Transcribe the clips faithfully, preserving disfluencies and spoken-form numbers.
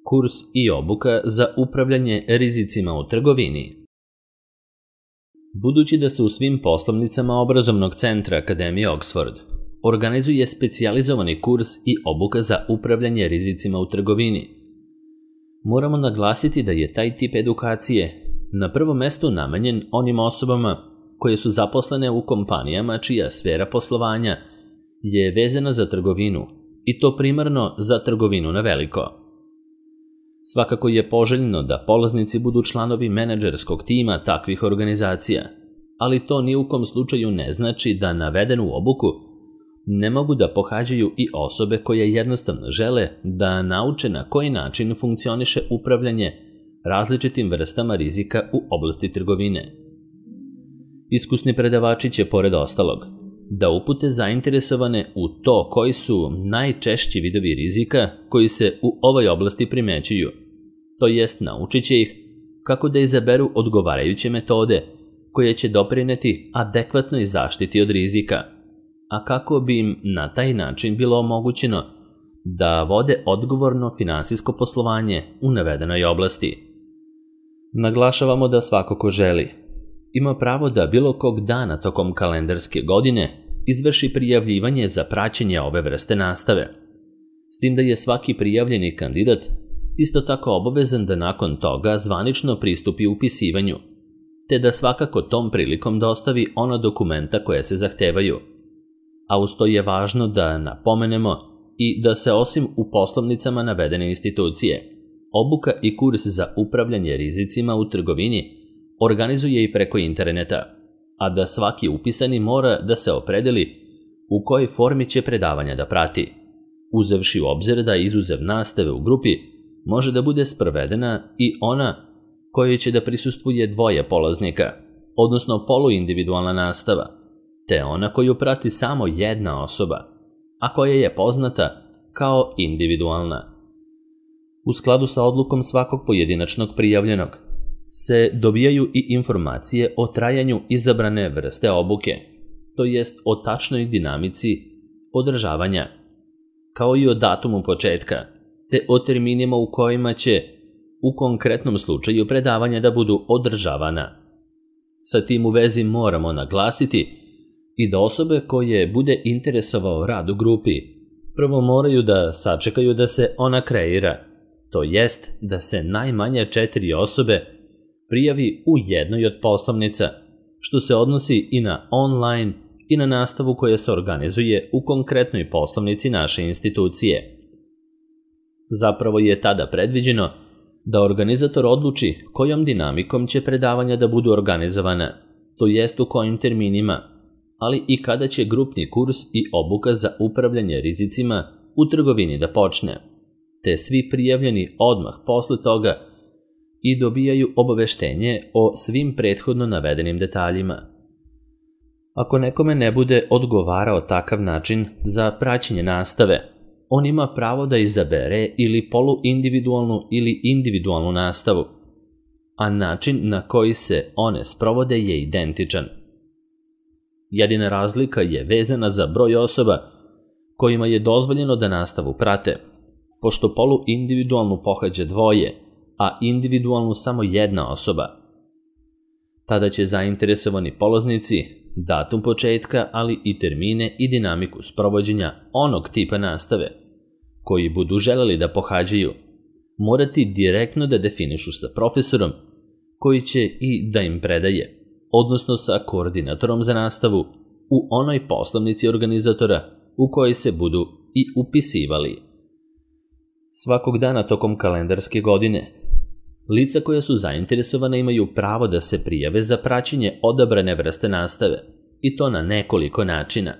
Kurs i obuka za upravljanje rizicima u trgovini. Budući da se u svim poslovnicama obrazovnog centra Akademije Oxford organizuje specijalizovani kurs i obuka za upravljanje rizicima u trgovini, moramo naglasiti da je taj tip edukacije na prvom mestu namenjen onim osobama koje su zaposlene u kompanijama čija sfera poslovanja je vezana za trgovinu i to primarno za trgovinu na veliko. Svakako je poželjno da polaznici budu članovi menadžerskog tima takvih organizacija, ali to ni u kom slučaju ne znači da navedenu obuku ne mogu da pohađaju i osobe koje jednostavno žele da nauče na koji način funkcioniše upravljanje različitim vrstama rizika u oblasti trgovine. Iskusni predavači će, pored ostalog, da upute zainteresovane u to koji su najčešći vidovi rizika koji se u ovoj oblasti primećuju, to jest naučit će ih kako da izaberu odgovarajuće metode koje će doprineti adekvatnoj zaštiti od rizika, a kako bi im na taj način bilo omogućeno da vode odgovorno finansijsko poslovanje u navedenoj oblasti. Naglašavamo da svako ko želi ima pravo da bilo kog dana tokom kalendarske godine izvrši prijavljivanje za praćenje ove vrste nastave, s tim da je svaki prijavljeni kandidat isto tako obavezan da nakon toga zvanično pristupi upisivanju, te da svakako tom prilikom dostavi ona dokumenta koje se zahtevaju. A uz to je važno da napomenemo i da se osim u poslovnicama navedene institucije, obuka i kurs za upravljanje rizicima u trgovini organizuje i preko interneta, a da svaki upisani mora da se opredeli u kojoj formi će predavanja da prati, uzevši u obzir da izuzev nastave u grupi može da bude sprovedena i ona kojoj će da prisustvuje dvoje polaznika, odnosno poluindividualna nastava, te ona koju prati samo jedna osoba, a koja je poznata kao individualna. U skladu sa odlukom svakog pojedinačnog prijavljenog se dobijaju i informacije o trajanju izabrane vrste obuke, to jest o tačnoj dinamici održavanja, kao i o datumu početka, te o terminima u kojima će u konkretnom slučaju predavanja da budu održavana. Sa tim u vezi moramo naglasiti i da osobe koje bude interesovao rad u grupi prvo moraju da sačekaju da se ona kreira, to jest da se najmanje četiri osobe prijavi u jednoj od poslovnica, što se odnosi i na online i na nastavu koja se organizuje u konkretnoj poslovnici naše institucije. Zapravo je tada predviđeno da organizator odluči kojom dinamikom će predavanja da budu organizovana, to jest u kojim terminima, ali i kada će grupni kurs i obuka za upravljanje rizicima u trgovini da počne, te svi prijavljeni odmah posle toga i dobijaju obaveštenje o svim prethodno navedenim detaljima. Ako nekome ne bude odgovarao takav način za praćenje nastave, on ima pravo da izabere ili poluindividualnu ili individualnu nastavu, a način na koji se one sprovode je identičan. Jedina razlika je vezana za broj osoba kojima je dozvoljeno da nastavu prate, pošto poluindividualnu pohađa dvoje, a individualnu samo jedna osoba. Tada će zainteresovani polaznici datum početka, ali i termine i dinamiku sprovođenja onog tipa nastave koji budu želeli da pohađaju, morati direktno da definišu sa profesorom koji će i da im predaje, odnosno sa koordinatorom za nastavu u onoj poslovnici organizatora u kojoj se budu i upisivali. Svakog dana tokom kalendarske godine lica koja su zainteresovana imaju pravo da se prijave za praćenje odabrane vrste nastave, i to na nekoliko načina.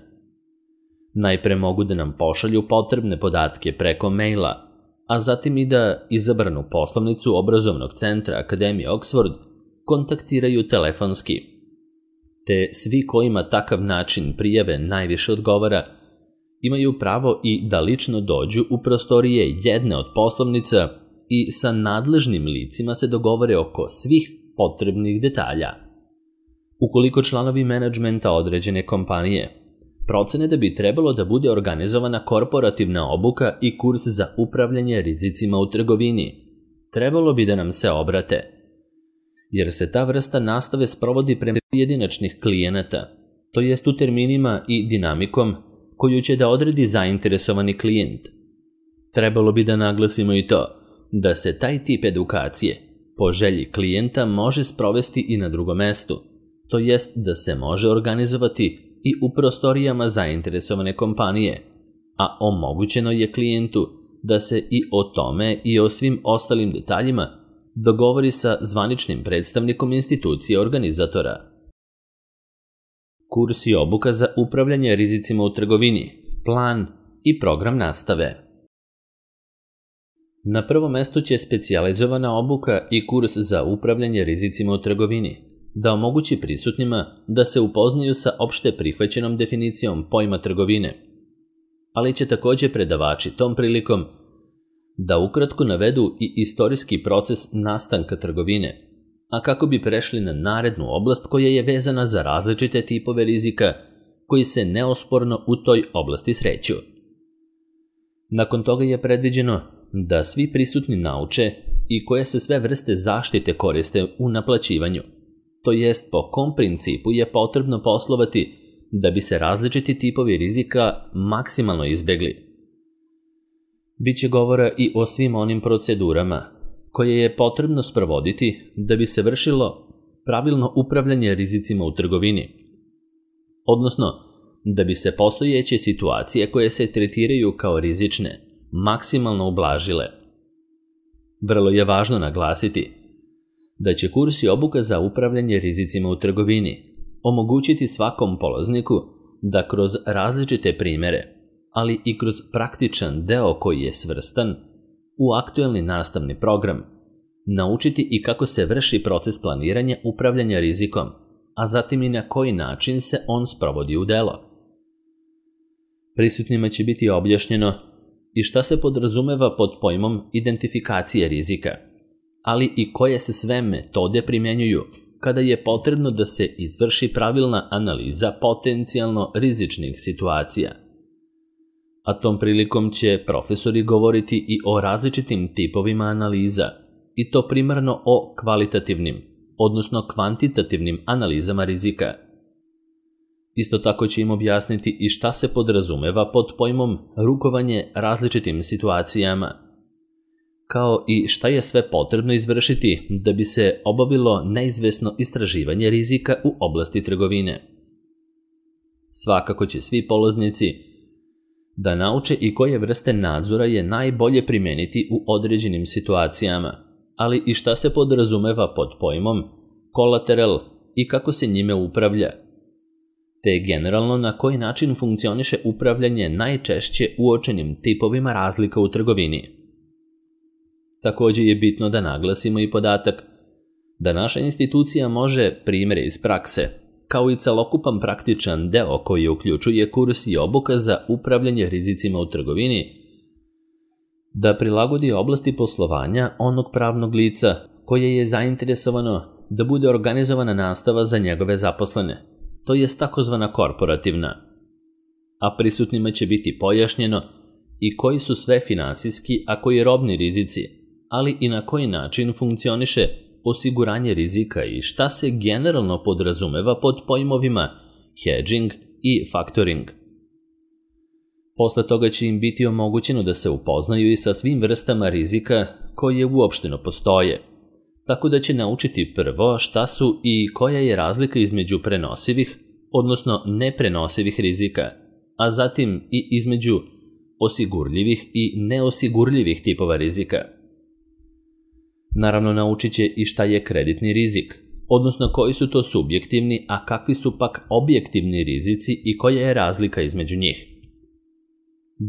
Najpre mogu da nam pošalju potrebne podatke preko maila, a zatim i da izabranu poslovnicu obrazovnog centra Akademije Oxford kontaktiraju telefonski. Te svi kojima takav način prijave najviše odgovara, imaju pravo i da lično dođu u prostorije jedne od poslovnica i sa nadležnim licima se dogovore oko svih potrebnih detalja. Ukoliko članovi menadžmenta određene kompanije procene da bi trebalo da bude organizovana korporativna obuka i kurs za upravljanje rizicima u trgovini. Trebalo bi da nam se obrate, jer se ta vrsta nastave sprovodi prema pojedinačnih klijenata, to jest u terminima i dinamikom koju će da odredi zainteresovani klijent. Trebalo bi da naglasimo i to da se taj tip edukacije po želji klijenta može sprovesti i na drugom mestu, to jest da se može organizovati i u prostorijama zainteresovane kompanije, a omogućeno je klijentu da se i o tome i o svim ostalim detaljima dogovori sa zvaničnim predstavnikom institucije organizatora. Kurs i obuka za upravljanje rizicima u trgovini, plan i program nastave. Na prvom mestu će specijalizovana obuka i kurs za upravljanje rizicima u trgovini da omogući prisutnima da se upoznaju sa opšte prihvaćenom definicijom pojma trgovine, ali će također predavači tom prilikom da ukratko navedu i istorijski proces nastanka trgovine, a kako bi prešli na narednu oblast koja je vezana za različite tipove rizika koji se neosporno u toj oblasti sreću. Nakon toga je predviđeno da svi prisutni nauče i koje se sve vrste zaštite koriste u naplaćivanju, to jest po kom principu je potrebno poslovati da bi se različiti tipovi rizika maksimalno izbegli. Biće govora i o svim onim procedurama koje je potrebno sprovoditi da bi se vršilo pravilno upravljanje rizicima u trgovini, odnosno da bi se postojeće situacije koje se tretiraju kao rizične maksimalno ublažile. Vrlo je važno naglasiti da će kurs i obuka za upravljanje rizicima u trgovini omogućiti svakom polazniku da kroz različite primere, ali i kroz praktičan deo koji je svrstan u aktuelni nastavni program, naučiti i kako se vrši proces planiranja upravljanja rizikom, a zatim i na koji način se on sprovodi u delo. Prisutnima će biti objašnjeno i šta se podrazumeva pod pojmom identifikacije rizika, ali i koje se sve metode primjenjuju kada je potrebno da se izvrši pravilna analiza potencijalno rizičnih situacija. A tom prilikom će profesori govoriti i o različitim tipovima analiza, i to primarno o kvalitativnim, odnosno kvantitativnim analizama rizika. Isto tako će im objasniti i šta se podrazumeva pod pojmom rukovanje različitim situacijama, kao i šta je sve potrebno izvršiti da bi se obavilo neizvesno istraživanje rizika u oblasti trgovine. Svakako će svi polaznici da nauče i koje vrste nadzora je najbolje primeniti u određenim situacijama, ali i šta se podrazumeva pod pojmom kolateral i kako se njime upravlja, te generalno na koji način funkcioniše upravljanje najčešće uočenim tipovima razlika u trgovini. Također je bitno da naglasimo i podatak da naša institucija može primjere iz prakse, kao i celokupan praktičan deo koji uključuje kurs i obuka za upravljanje rizicima u trgovini, da prilagodi oblasti poslovanja onog pravnog lica koje je zainteresovano da bude organizovana nastava za njegove zaposlene, to je takozvana korporativna, a prisutnima će biti pojašnjeno i koji su sve finansijski, a koji robni rizici, ali i na koji način funkcioniše osiguranje rizika i šta se generalno podrazumeva pod pojmovima hedging i factoring. Posle toga će im biti omogućeno da se upoznaju i sa svim vrstama rizika koje uopšteno postoje, tako da će naučiti prvo šta su i koja je razlika između prenosivih, odnosno neprenosivih rizika, a zatim i između osigurljivih i neosigurljivih tipova rizika. Naravno, naučit će i šta je kreditni rizik, odnosno koji su to subjektivni, a kakvi su pak objektivni rizici i koja je razlika između njih.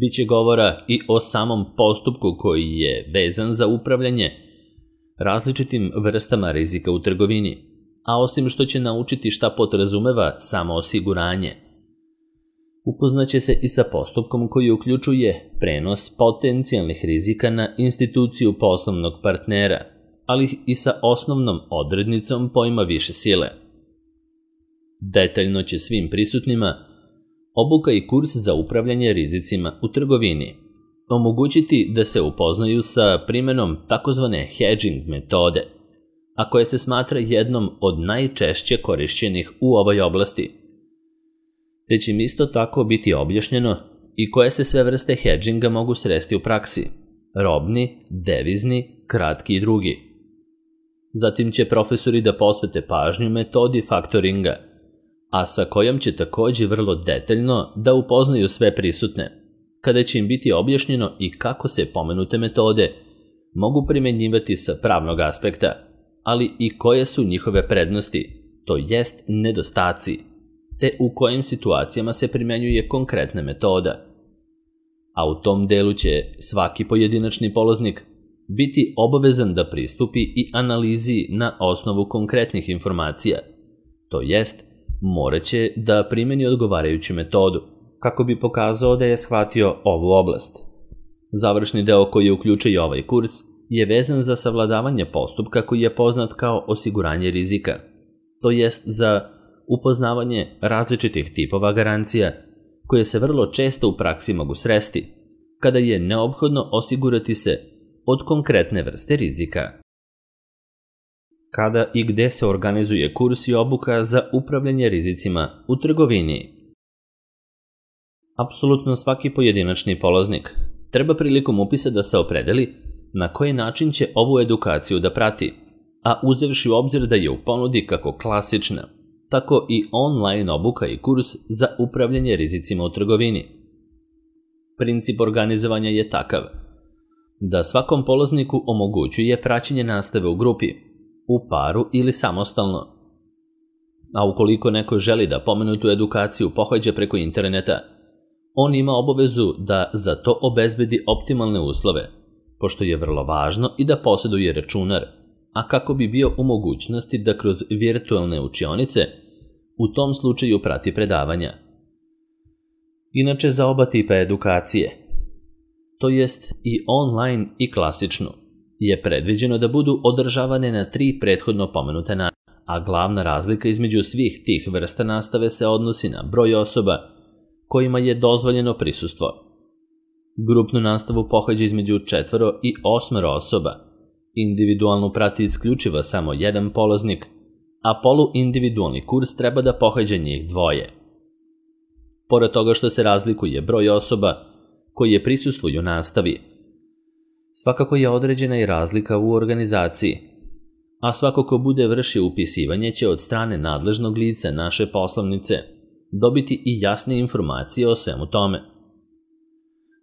Biće govora i o samom postupku koji je vezan za upravljanje različitim vrstama rizika u trgovini, a osim što će naučiti šta podrazumeva samo osiguranje, upoznaće se i sa postupkom koji uključuje prenos potencijalnih rizika na instituciju poslovnog partnera, ali i sa osnovnom odrednicom pojma više sile. Detaljno će svim prisutnima obuka i kurs za upravljanje rizicima u trgovini, omogućiti da se upoznaju sa primenom takozvane hedging metode, a koja se smatra jednom od najčešće korišćenih u ovoj oblasti, te će im isto tako biti objašnjeno i koje se sve vrste hedginga mogu sresti u praksi, robni, devizni, kratki i drugi. Zatim će profesori da posvete pažnju metodi faktoringa, a sa kojom će takođe vrlo detaljno da upoznaju sve prisutne, kada će im biti objašnjeno i kako se pomenute metode mogu primenjivati sa pravnog aspekta, ali i koje su njihove prednosti, to jest nedostaci, te u kojim situacijama se primenjuje konkretna metoda. A u tom delu će svaki pojedinačni polaznik biti obavezan da pristupi i analizi na osnovu konkretnih informacija, to jest moraće da primeni odgovarajuću metodu, kako bi pokazao da je shvatio ovu oblast. Završni deo koji uključuje ovaj kurs je vezan za savladavanje postupka koji je poznat kao osiguranje rizika, to jest za upoznavanje različitih tipova garancija koje se vrlo često u praksi mogu sresti, kada je neophodno osigurati se od konkretne vrste rizika. Kada i gde se organizuje kurs i obuka za upravljanje rizicima u trgovini? Apsolutno svaki pojedinačni polaznik treba prilikom upisa da se opredeli na koji način će ovu edukaciju da prati, a uzevši u obzir da je u ponudi kako klasična, tako i online obuka i kurs za upravljanje rizicima u trgovini. Princip organizovanja je takav da svakom polazniku omogućuje praćenje nastave u grupi, u paru ili samostalno. A ukoliko neko želi da pomenutu edukaciju pohađa preko interneta, on ima obavezu da za to obezbedi optimalne uslove, pošto je vrlo važno i da posjeduje računar, a kako bi bio u mogućnosti da kroz virtualne učionice u tom slučaju prati predavanja. Inače, za oba tipa edukacije, to jest i online i klasičnu, je predviđeno da budu održavane na tri prethodno pomenute načine, a glavna razlika između svih tih vrsta nastave se odnosi na broj osoba kojima je dozvoljeno prisustvo. Grupnu nastavu pohađa između četvoro i osmero osoba, individualnu prati isključivo samo jedan polaznik, a poluindividualni kurs treba da pohađa njih dvoje. Pored toga što se razlikuje broj osoba koje prisustvuju nastavi, svakako je određena i razlika u organizaciji, a svako ko bude vršio upisivanje će od strane nadležnog lica naše poslovnice dobiti i jasne informacije o svemu tome.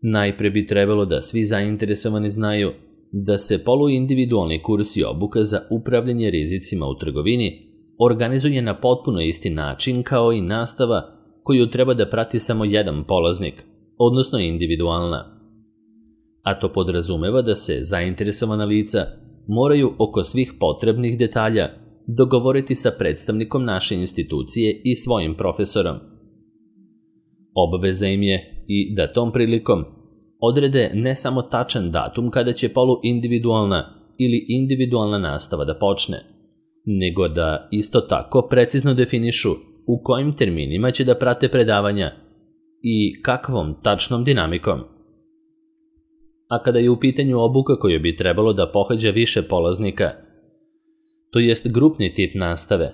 Najpre bi trebalo da svi zainteresovani znaju da se poluindividualni kurs i obuka za upravljanje rizicima u trgovini organizuje na potpuno isti način kao i nastava koju treba da prati samo jedan polaznik, odnosno individualna. A to podrazumeva da se zainteresovana lica moraju oko svih potrebnih detalja dogovoriti sa predstavnikom naše institucije i svojim profesorom. Obaveza im je i da tom prilikom odrede ne samo tačan datum kada će poluindividualna ili individualna nastava da počne, nego da isto tako precizno definišu u kojim terminima će da prate predavanja i kakvom tačnom dinamikom. A kada je u pitanju obuka koju bi trebalo da pohađa više polaznika, to jest grupni tip nastave,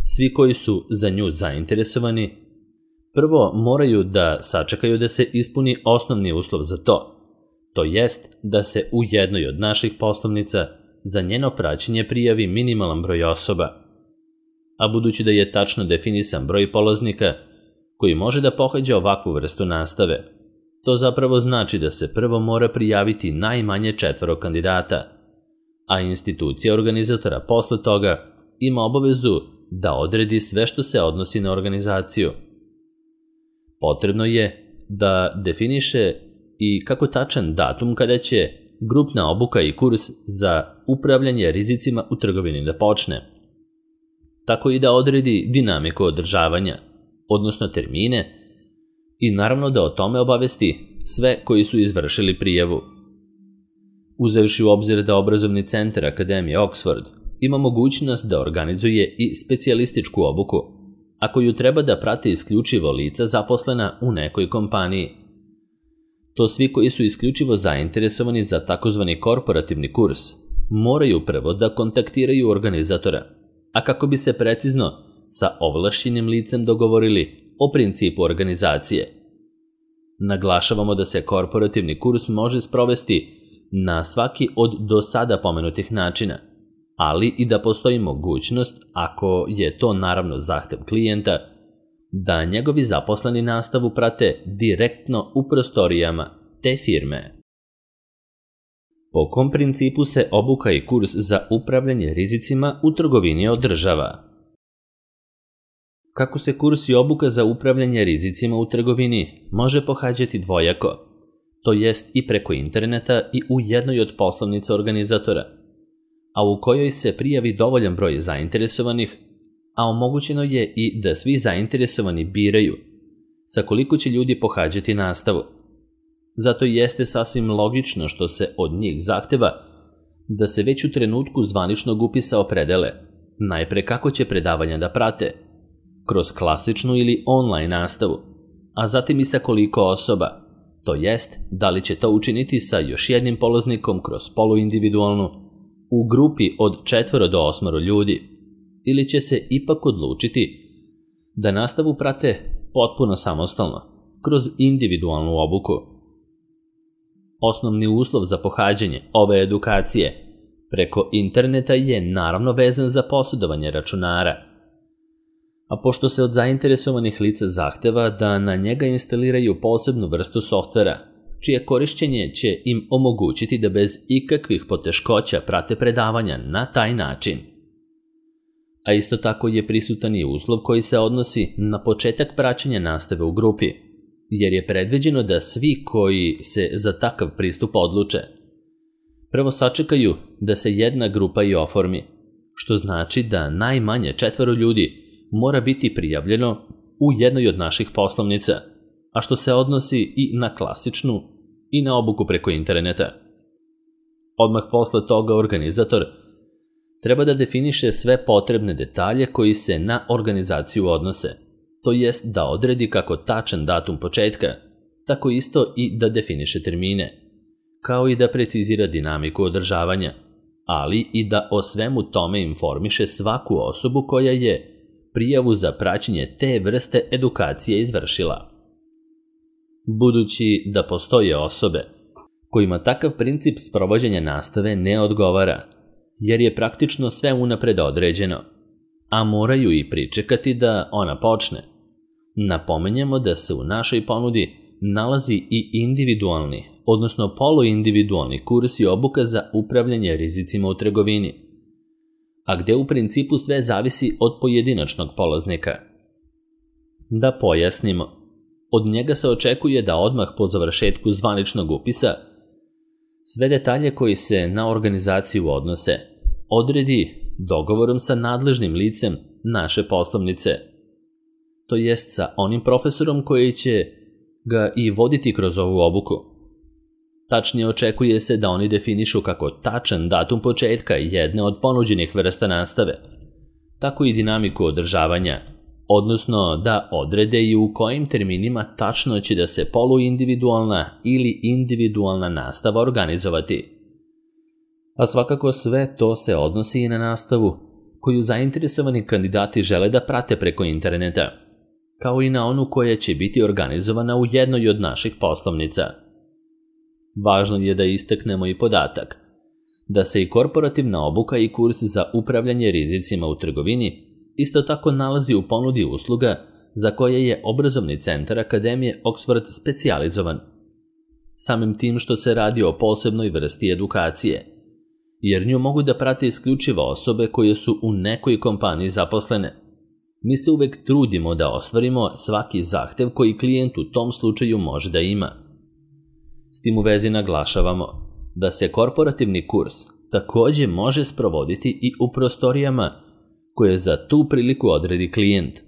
svi koji su za nju zainteresovani, prvo moraju da sačekaju da se ispuni osnovni uslov za to, to jest da se u jednoj od naših poslovnica za njeno praćenje prijavi minimalan broj osoba. A budući da je tačno definisan broj polaznika koji može da pohađa ovakvu vrstu nastave, to zapravo znači da se prvo mora prijaviti najmanje četvoro kandidata, a institucija organizatora posle toga ima obavezu da odredi sve što se odnosi na organizaciju. Potrebno je da definiše i kako tačan datum kada će grupna obuka i kurs za upravljanje rizicima u trgovini da počne, tako i da odredi dinamiku održavanja, odnosno termine, i naravno da o tome obavesti sve koji su izvršili prijavu. Uzevši u obzir da obrazovni centar Akademije Oxford ima mogućnost da organizuje i specijalističku obuku, a koju treba da prate isključivo lica zaposlena u nekoj kompaniji. To svi koji su isključivo zainteresovani za takozvani korporativni kurs moraju prvo da kontaktiraju organizatora, a kako bi se precizno sa ovlašćenim licem dogovorili o principu organizacije. Naglašavamo da se korporativni kurs može sprovesti na svaki od do sada pomenutih načina, ali i da postoji mogućnost, ako je to naravno zahtev klijenta, da njegovi zaposleni nastavu prate direktno u prostorijama te firme. Po kom principu se obuka i kurs za upravljanje rizicima u trgovini održava? Kako se kurs i obuka za upravljanje rizicima u trgovini može pohađati dvojako, to jest i preko interneta i u jednoj od poslovnica organizatora, a u kojoj se prijavi dovoljan broj zainteresovanih, a omogućeno je i da svi zainteresovani biraju sa koliko će ljudi pohađati nastavu. Zato jeste sasvim logično što se od njih zahteva da se već u trenutku zvaničnog upisa opredele najpre kako će predavanja da prate, kroz klasičnu ili online nastavu, a zatim i sa koliko osoba, to jest da li će to učiniti sa još jednim polaznikom kroz poluindividualnu, u grupi od četvoro do osmoro ljudi, ili će se ipak odlučiti da nastavu prate potpuno samostalno, kroz individualnu obuku. Osnovni uslov za pohađanje ove edukacije preko interneta je naravno vezan za posjedovanje računara. A pošto se od zainteresovanih lica zahteva da na njega instaliraju posebnu vrstu softvera, čije korišćenje će im omogućiti da bez ikakvih poteškoća prate predavanja na taj način. A isto tako je prisutan i uslov koji se odnosi na početak praćenja nastave u grupi, jer je predviđeno da svi koji se za takav pristup odluče prvo sačekaju da se jedna grupa i oformi, što znači da najmanje četvoro ljudi mora biti prijavljeno u jednoj od naših poslovnica, a što se odnosi i na klasičnu i na obuku preko interneta. Odmah posle toga organizator treba da definiše sve potrebne detalje koji se na organizaciju odnose, to jest da odredi kako tačan datum početka, tako isto i da definiše termine, kao i da precizira dinamiku održavanja, ali i da o svemu tome informiše svaku osobu koja je prijavu za praćenje te vrste edukacije izvršila. Budući da postoje osobe kojima takav princip sprovođenja nastave ne odgovara, jer je praktično sve unapred određeno, a moraju i pričekati da ona počne, napominjemo da se u našoj ponudi nalazi i individualni, odnosno poluindividualni kurs i obuka za upravljanje rizicima u trgovini, a gde u principu sve zavisi od pojedinačnog polaznika. Da pojasnimo, od njega se očekuje da odmah po završetku zvaničnog upisa sve detalje koji se na organizaciju odnose odredi dogovorom sa nadležnim licem naše poslovnice, to jest sa onim profesorom koji će ga i voditi kroz ovu obuku. Tačnije očekuje se da oni definišu kako tačan datum početka jedne od ponuđenih vrsta nastave, tako i dinamiku održavanja, odnosno da odrede i u kojim terminima tačno će da se poluindividualna ili individualna nastava organizovati. A svakako sve to se odnosi i na nastavu koju zainteresovani kandidati žele da prate preko interneta, kao i na onu koja će biti organizovana u jednoj od naših poslovnica. Važno je da istaknemo i podatak da se i korporativna obuka i kurs za upravljanje rizicima u trgovini isto tako nalazi u ponudi usluga za koje je obrazovni centar Akademije Oxford specijalizovan, samim tim što se radi o posebnoj vrsti edukacije, jer nju mogu da prate isključivo osobe koje su u nekoj kompaniji zaposlene. Mi se uvek trudimo da ostvarimo svaki zahtev koji klijent u tom slučaju može da ima. S tim u vezi naglašavamo da se korporativni kurs takođe može sprovoditi i u prostorijama koje za tu priliku odredi klijent,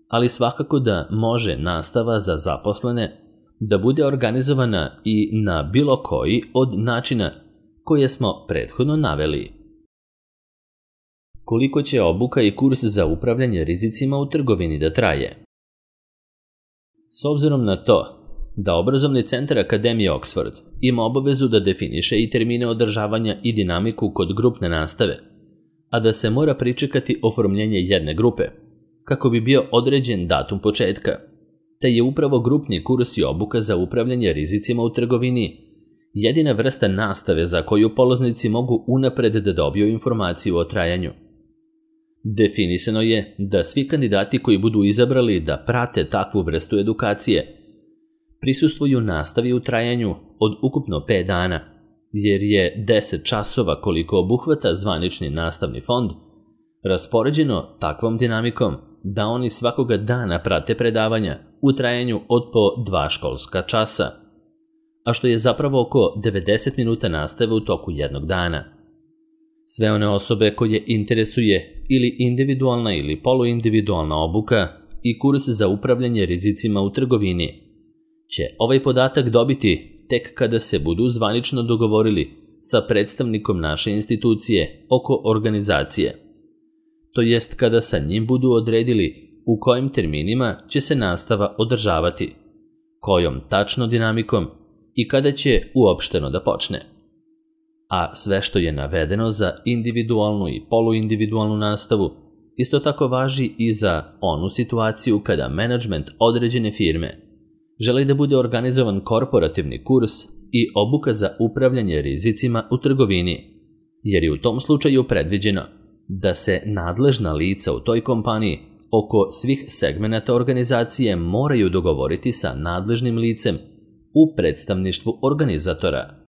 ali svakako da može nastava za zaposlene da bude organizovana i na bilo koji od načina koje smo prethodno naveli. Koliko će obuka i kurs za upravljanje rizicima u trgovini da traje? S obzirom na to da obrazovni centar Akademije Oxford ima obavezu da definiše i termine održavanja i dinamiku kod grupne nastave, a da se mora pričekati oformljenje jedne grupe, kako bi bio određen datum početka, te je upravo grupni kurs i obuka za upravljanje rizicima u trgovini jedina vrsta nastave za koju polaznici mogu unapred da dobiju informaciju o trajanju. Definisano je da svi kandidati koji budu izabrali da prate takvu vrstu edukacije prisustvuju nastavi u trajanju od ukupno pet dana, jer je deset časova koliko obuhvata zvanični nastavni fond raspoređeno takvom dinamikom da oni svakoga dana prate predavanja u trajanju od po dva školska časa, a što je zapravo oko devedeset minuta nastave u toku jednog dana. Sve one osobe koje interesuje ili individualna ili poluindividualna obuka i kurs za upravljanje rizicima u trgovini će ovaj podatak dobiti tek kada se budu zvanično dogovorili sa predstavnikom naše institucije oko organizacije, to jest kada sa njim budu odredili u kojim terminima će se nastava održavati, kojom tačno dinamikom i kada će uopšteno da počne. A sve što je navedeno za individualnu i poluindividualnu nastavu isto tako važi i za onu situaciju kada menadžment određene firme želi da bude organizovan korporativni kurs i obuka za upravljanje rizicima u trgovini, jer je u tom slučaju predviđeno da se nadležna lica u toj kompaniji oko svih segmenata organizacije moraju dogovoriti sa nadležnim licem u predstavništvu organizatora.